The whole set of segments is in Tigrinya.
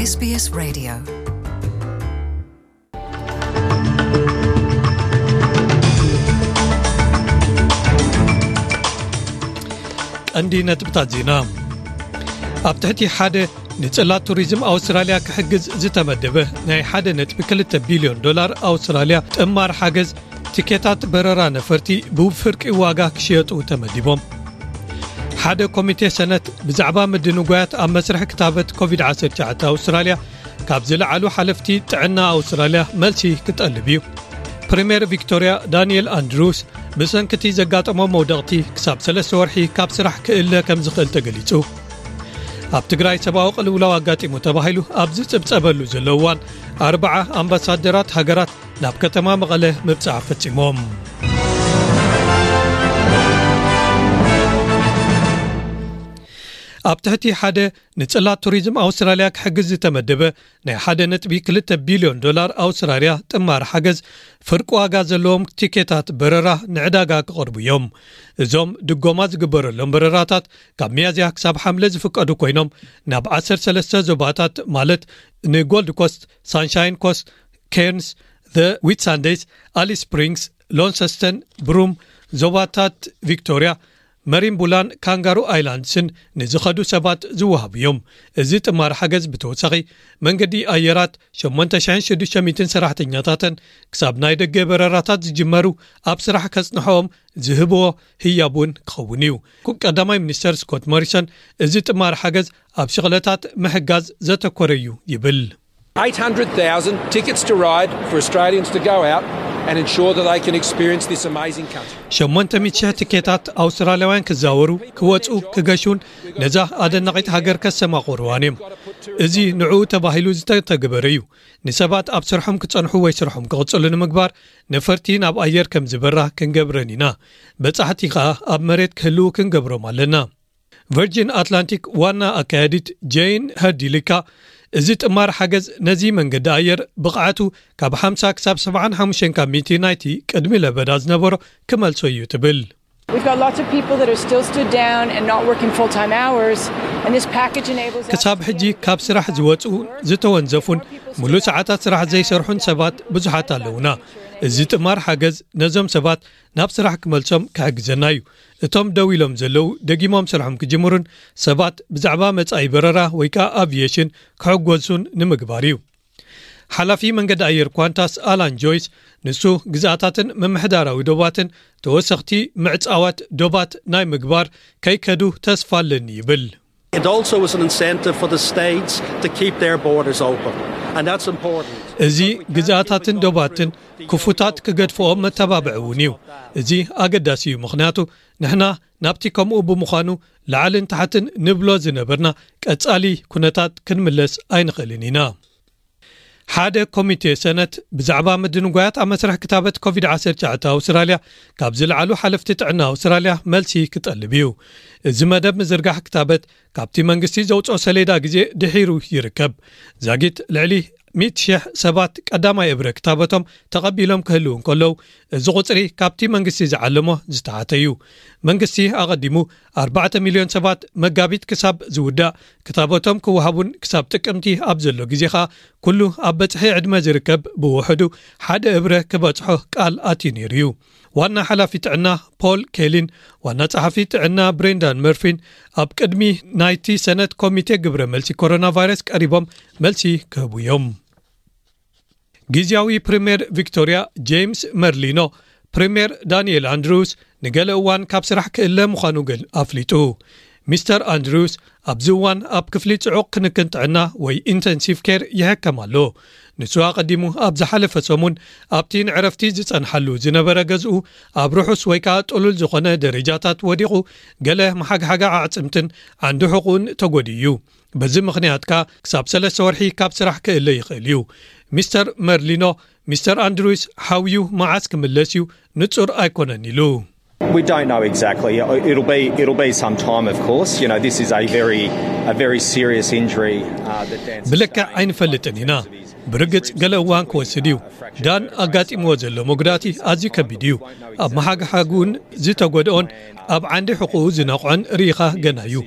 S B S Radio. ቀንዲ ነጥብታት ዜና። ኣብ ትሕቲ ሓደ ንጽላት ቱሪዝም ኣውስትራልያ ክሕግዝ ዝተመደበ ናይ ሓደ ነጥቢ ክልተ ቢልዮን ዶላር ኣውስትራልያ ጥማር ሓገዝ፣ ቲኬታት በረራ ነፈርቲ ብፍርቂ ዋጋ ክሽየጡ ተመዲቦም። ሓደ ኮሚቴ ሰነት ብዛዕባ ምድንጓያት ኣብ መስርሕ ክታበት ኮቪድ ዓሰርተ ትሽዓተ ኣውስትራልያ ካብ ዝለዓሉ ሓለፍቲ ጥዕና ኣውስትራልያ መልሲ ክጠልብ እዩ። ፕሪምየር ቪክቶርያ ዳንኤል ኣንድሩስ ብሰንክቲ ዘጋጠሞ መውደቕቲ ክሳብ ሰለስተ ወርሒ ካብ ስራሕ ክእለ ከም ዝኽእል ተገሊጹ። ኣብ ትግራይ ሰብኣዊ ቅልውላው ኣጋጢሙ ተባሂሉ ኣብ ዝጽብጸበሉ ዘሎ እዋን፣ ኣርብዓ ኣምባሳደራት ሃገራት ናብ ከተማ መቐለ ምብጻሕ ፈጺሞም። ኣብ ትሕቲ ሓደ ንጽላት ቱሪዝም ኣውስትራልያ ክሕግዝ ዝተመደበ ናይ ሓደ ነጥቢ ክልተ ቢልዮን ዶላር ኣውስትራልያ ጥማር ሓገዝ፣ ፍርቂ ዋጋ ዘለዎም ቲኬታት በረራ ንዕዳጋ ክቐርቡ እዮም። እዞም ድጎማ ዝግበረሎም በረራታት ካብ ሚያዝያ ክሳብ ሓምለ ዝፍቀዱ ኮይኖም፣ ናብ ዓሰርተ ሰለስተ ዞባታት፣ ማለት ንጎልድ ኮስት፣ ሳንሻይን ኮስት፣ ኬርንስ፣ ዘ ዊትሳንደይስ፣ ኣሊስ ስፕሪንግስ፣ ሎንሰስተን፣ ብሩም፣ ዞባታት ቪክቶርያ፣ መሪምቡላን ካንጋሩ ኣይላንድስን ንዝኸዱ ሰባት ዝወሃቡ እዮም። እዚ ጥማር ሓገዝ ብተወሳኺ መንገዲ ኣየራት ሸሞንተ ሽሕን ሽዱሽተ ሚእትን ሰራሕተኛታተን ክሳብ ናይ ደገ በረራታት ዝጅመሩ ኣብ ስራሕ ከጽንሖም ዝህብዎ ህያብ እውን ክኸውን እዩ። ኩ-፣ ቀዳማይ ሚኒስተር ስኮት ሞሪሰን እዚ ጥማር ሓገዝ ኣብ ሽቕለታት ምሕጋዝ ዘተኮረ እዩ ይብል። Eight hundred thousand tickets to ride for Australians to go out and ensure that they can experience this amazing country. ሸሞንተ ሚእቲ ሺሕ ትኬታት ኣውስትራልያውያን ክዛወሩ፣ ክወጹ፣ ክገሹን ነዛ ኣደናቒት ሃገር ከሰማቑርዋን እዮም። እዚ ንዕኡ ተባሂሉ ዝተተግበረ እዩ። ንሰባት ኣብ ስርሖም ክጸንሑ ወይ ስርሖም ክቕጽሉ ንምግባር ነፈርቲ ናብ ኣየር ከም ዝበራ ክንገብረን ኢና። በጻሕቲ ከኣ ኣብ መሬት ክህልዉ ክንገብሮም ኣለና። ቨርጂን ኣትላንቲክ ዋና ኣካያዲት ጄን ሀርዲሊካ፣ እዚ ጥማር ሓገዝ ነዚ መንገዲ ኣየር ብቕዓቱ ካብ ሓምሳ ክሳብ ሰብዓን ሓሙሽተን ካብ ሚእቲ ናይቲ ቅድሚ ለበዳ ዝነበሮ ክመልሶ እዩ ትብል። We've got lots of people that are still stood down and not working full-time hours, and this package enables us ክሳብ ሕጂ ካብ ስራሕ ዝወጹ፣ ዝተወንዘፉን ሙሉእ ሰዓታት ስራሕ ዘይሰርሑን ሰባት ብዙሓት ኣለውና። እዚ ጥማር ሓገዝ ነዞም ሰባት ናብ ስራሕ ክመልሶም ክሕግዘና እዩ። እቶም ደው ኢሎም ዘለዉ ደጊሞም ስርሖም ክጅምሩን ሰባት ብዛዕባ መጻኢ በረራ ወይ ከኣ ኣቪየሽን ክሕጎሱን ንምግባር እዩ። ሓላፊ መንገዲ ኣየር ኳንታስ ኣላን ጆይስ፣ ንሱ ግዝኣታትን ምምሕዳራዊ ዶባትን ተወሰኽቲ ምዕጻዋት ዶባት ናይ ምግባር ከይከዱ ተስፋ ኣለኒ ይብል። It also was an incentive for the states to keep their borders open, and that's important. እዚ ግዝኣታትን ዶባትን ክፉታት ክገድፍኦም መተባብዒ እውን እዩ። እዚ ኣገዳሲ እዩ፣ ምኽንያቱ ንሕና ናብቲ ከምኡ ብምዃኑ ላዕልን ታሕትን ንብሎ ዝነበርና ቀጻሊ ኩነታት ክንምለስ ኣይንኽእልን ኢና። ሓደ ኮሚቴ ሰነት ብዛዕባ ምድንጓያት ኣብ መስርሕ ክታበት ኮቪድ ዓሰርተ ትሽዓተ ኣውስትራልያ ካብ ዝለዓሉ ሓለፍቲ ጥዕና ኣውስትራልያ መልሲ ክጠልብ እዩ። እዚ መደብ ምዝርጋሕ ክታበት ካብቲ መንግስቲ ዘውጽኦ ሰሌዳ ግዜ ድሒሩ ይርከብ። ዛጊት ልዕሊ ሚእቲ ሺሕ ሰባት ቀዳማይ እብረ ክታበቶም ተቐቢሎም ክህልዉ እንከለዉ፣ እዚ ቁጽሪ ካብቲ መንግስቲ ዝዓለሞ ዝተሓተ እዩ። መንግስቲ ኣቐዲሙ ኣርባዕተ ሚልዮን ሰባት መጋቢት ክሳብ ዝውዳእ ክታበቶም ክወሃቡን ክሳብ ጥቅምቲ ኣብ ዘሎ ግዜ ኸኣ ኩሉ ኣብ በጽሒ ዕድመ ዝርከብ ብውሕዱ ሓደ እብረ ክበጽሖ ቃል ኣትዩ ነይሩ እዩ። ዋና ሓላፊ ጥዕና ፖል ኬሊን ዋና ጸሓፊ ጥዕና ብሬንዳን መርፊን ኣብ ቅድሚ ናይቲ ሰነት ኮሚቴ ግብረ መልሲ ኮሮና ቫይረስ ቀሪቦም መልሲ ክህቡ እዮም። ግዝያዊ ፕሪምየር ቪክቶርያ ጄምስ መርሊኖ፣ ፕሪምየር ዳንኤል ኣንድሩስ ንገለ እዋን ካብ ስራሕ ክእለ ምዃኑ ገል-፣ ኣፍሊጡ። ሚስተር ኣንድሩስ ኣብዚ እዋን ኣብ ክፍሊ ጽዑቕ ክንክን ጥዕና ወይ ኢንተንሲቭ ኬር ይሕከም ኣሎ። ንሱ ኣቐዲሙ ኣብ ዝሓለፈ ሰሙን ኣብቲ ንዕረፍቲ ዝጸንሓሉ ዝነበረ ገዝኡ ኣብ ርሑስ ወይ ከኣ ጥሉል ዝኾነ ደረጃታት ወዲቑ፣ ገለ መሓግሓጋ ኣዕጽምትን ዓንዲ ሕቑኡን ተጎድኡ እዩ። በዚ ምኽንያት ከኣ ክሳብ ሰለስተ ወርሒ ካብ ስራሕ ክእለ ይኽእል እዩ። ሚስተር መርሊኖ፣ ሚስተር ኣንድሩስ ሓውዩ መዓስ ክምለስ እዩ ንጹር ኣይኮነን ኢሉ። We don't know exactly. It'll be, it'll be some time, of course. You know, this is a very, a very serious injury, uh, that Dan ብልክዕ ኣይንፈልጥን ኢና። ብርግጽ ገለ እዋን ክወስድ እዩ። ዳን ኣጋጢምዎ ዘሎ መጉዳእቲ ኣዝዩ ከቢድ እዩ። ኣብ መሓግሓግ እውን ዝተጎድኦን ኣብ ዓንዲ ሕቑኡ ዝነቕዖን ርኢኻ ገና እዩ።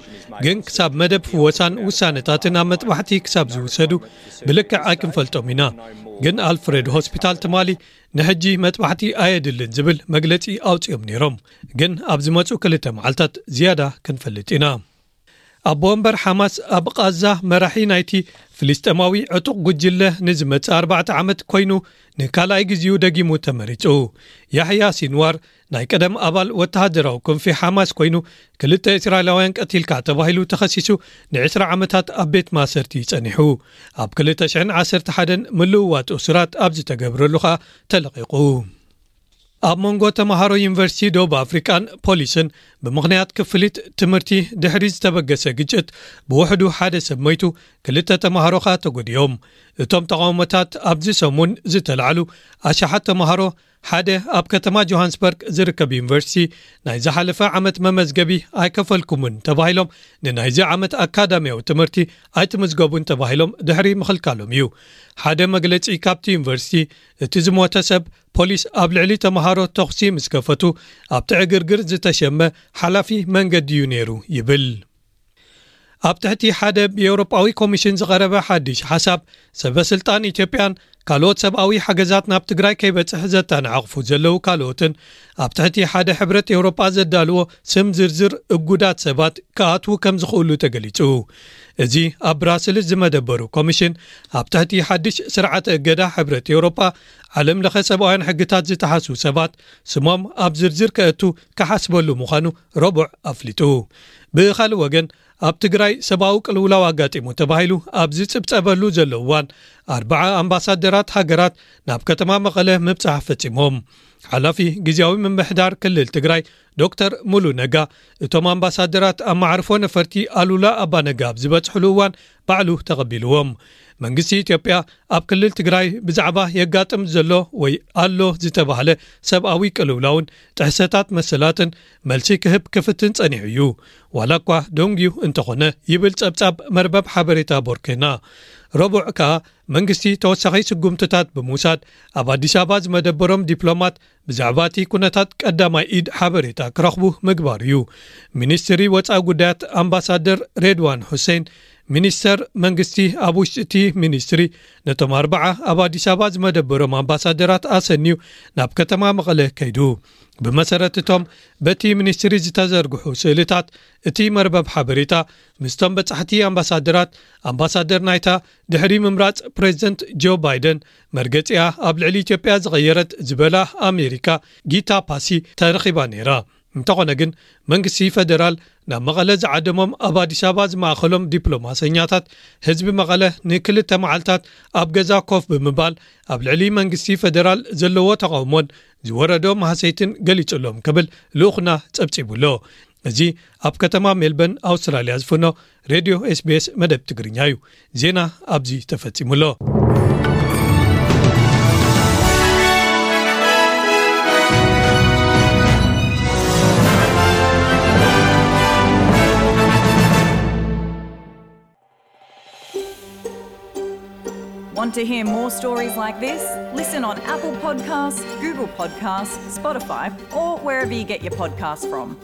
ግን ክሳብ መደብ ፍወሳን ውሳነታትን ኣብ መጥባሕቲ ክሳብ ዝውሰዱ ብልክዕ ኣይክንፈልጦም ኢና። ግን ኣልፍሬድ ሆስፒታል ትማሊ ንሕጂ መጥባሕቲ ኣየድልን ዝብል መግለጺ ኣውጺኦም ነይሮም። ግን ኣብ ዝመጹ ክልተ መዓልታት ዝያዳ ክንፈልጥ ኢና። ኣቦ ወንበር ሓማስ ኣብ ቃዛ መራሒ ናይቲ ፍልስጤማዊ ዕጡቕ ጉጅለ ንዝመጽእ ኣርባዕተ ዓመት ኮይኑ ንካልኣይ ግዜኡ ደጊሙ ተመሪጹ። ያሕያ ሲንዋር ናይ ቀደም ኣባል ወተሃደራዊ ክንፊ ሓማስ ኮይኑ ክልተ እስራኤላውያን ቀቲልካ ተባሂሉ ተኸሲሱ ንዕስራ ዓመታት ኣብ ቤት ማእሰርቲ ጸኒሑ። ኣብ ክልተ ሽሕን ዓሰርተ ሓደን ምልውዋጥ እሱራት ኣብ ዝተገብረሉ ኸኣ ተለቒቑ። ኣብ መንጎ ተምሃሮ ዩኒቨርሲቲ ደቡብ ኣፍሪቃን ፖሊስን ብምኽንያት ክፍሊት ትምህርቲ ድሕሪ ዝተበገሰ ግጭት ብውሕዱ ሓደ ሰብ ሞይቱ፣ ክልተ ተምሃሮ ኸኣ ተጎዲኦም። እቶም ተቓውሞታት ኣብዚ ሰሙን ዝተላዕሉ ኣሽሓት ተምሃሮ ሓደ ኣብ ከተማ ጆሃንስበርግ ዝርከብ ዩኒቨርሲቲ ናይ ዝሓለፈ ዓመት መመዝገቢ ኣይከፈልኩምን ተባሂሎም ንናይዚ ዓመት ኣካዳሚያዊ ትምህርቲ ኣይትምዝገቡን ተባሂሎም ድሕሪ ምኽልካሎም እዩ። ሓደ መግለጺ ካብቲ ዩኒቨርሲቲ እቲ ዝሞተ ሰብ ፖሊስ ኣብ ልዕሊ ተምሃሮ ተኹሲ ምስ ከፈቱ ኣብቲ ዕግርግር ዝተሸመ ሓላፊ መንገዲ እዩ ነይሩ ይብል። ኣብ ትሕቲ ሓደ ብኤውሮጳዊ ኮሚሽን ዝቐረበ ሓድሽ ሓሳብ ሰበ ስልጣን ኢትዮጵያን ካልኦት ሰብኣዊ ሓገዛት ናብ ትግራይ ከይበጽሕ ዘተናዕቕፉ ዘለዉ ካልኦትን ኣብ ትሕቲ ሓደ ሕብረት ኤውሮጳ ዘዳልዎ ስም ዝርዝር እጉዳት ሰባት ክኣትዉ ከም ዝኽእሉ ተገሊጹ። እዚ ኣብ ብራስልስ ዝመደበሩ ኮሚሽን ኣብ ትሕቲ ሓድሽ ስርዓተ እገዳ ሕብረት ኤውሮጳ ዓለም ለኸ ሰብኣውያን ሕግታት ዝጠሓሱ ሰባት ስሞም ኣብ ዝርዝር ከእቱ ክሓስበሉ ምዃኑ ረቡዕ ኣፍሊጡ። ብኻልእ ወገን ኣብ ትግራይ ሰብኣዊ ቅልውላው ኣጋጢሙ ተባሂሉ ኣብ ዝጽብጸበሉ ዘሎ እዋን ኣርባዓ ኣምባሳደራት ሃገራት ናብ ከተማ መቐለ ምብጻሕ ፈጺሞም። ሓላፊ ግዝያዊ ምምሕዳር ክልል ትግራይ ዶክተር ሙሉ ነጋ እቶም ኣምባሳደራት ኣብ መዓርፎ ነፈርቲ ኣሉላ ኣባነጋ ኣብ ዝበጽሕሉ እዋን ባዕሉ ተቐቢልዎም። መንግስቲ ኢትዮጵያ ኣብ ክልል ትግራይ ብዛዕባ የጋጥም ዘሎ ወይ ኣሎ ዝተባህለ ሰብኣዊ ቅልውላውን ጥሕሰታት መሰላትን መልሲ ክህብ ክፍትን ጸኒሑ እዩ። ዋላ እኳ ደንጉዩ እንተኾነ ይብል ጸብጻብ መርበብ ሓበሬታ ቦርኬና። ረቡዕ ከኣ መንግስቲ ተወሳኺ ስጉምትታት ብምውሳድ ኣብ ኣዲስ ኣበባ ዝመደበሮም ዲፕሎማት ብዛዕባ እቲ ኩነታት ቀዳማይ ኢድ ሓበሬታ ክረኽቡ ምግባር እዩ። ሚኒስትሪ ወጻኢ ጉዳያት ኣምባሳደር ሬድዋን ሁሴን ሚኒስተር መንግስቲ ኣብ ውሽጢ እቲ ሚኒስትሪ ነቶም ኣርባዓ ኣብ ኣዲስ ኣበባ ዝመደበሮም ኣምባሳደራት ኣሰንዩ ናብ ከተማ መቐለ ከይዱ። ብመሰረት እቶም በቲ ሚኒስትሪ ዝተዘርግሑ ስእልታት እቲ መርበብ ሓበሬታ ምስቶም በጻሕቲ ኣምባሳደራት ኣምባሳደር ናይታ ድሕሪ ምምራጽ ፕሬዚደንት ጆ ባይደን መርገጺኣ ኣብ ልዕሊ ኢትዮጵያ ዝቐየረት ዝበላ ኣሜሪካ ጊታ ፓሲ ተረኺባ ነይራ። እንተኾነ ግን መንግስቲ ፈደራል ናብ መቐለ ዝዓደሞም ኣብ ኣዲስ ኣበባ ዝማእኸሎም ዲፕሎማሰኛታት ህዝቢ መቐለ ንክልተ መዓልታት ኣብ ገዛ ኮፍ ብምባል ኣብ ልዕሊ መንግስቲ ፈደራል ዘለዎ ተቓውሞን ዝወረዶ ማህሰይትን ገሊጹሎም ክብል ልኡኽና ጸብጺቡሎ። እዚ ኣብ ከተማ ሜልበርን ኣውስትራልያ ዝፍኖ ሬድዮ ኤስቢኤስ መደብ ትግርኛ እዩ። ዜና ኣብዚ ተፈጺሙሎ። Want to hear more stories like this? Listen on Apple Podcasts, Google Podcasts, Spotify, or wherever you get your podcasts from.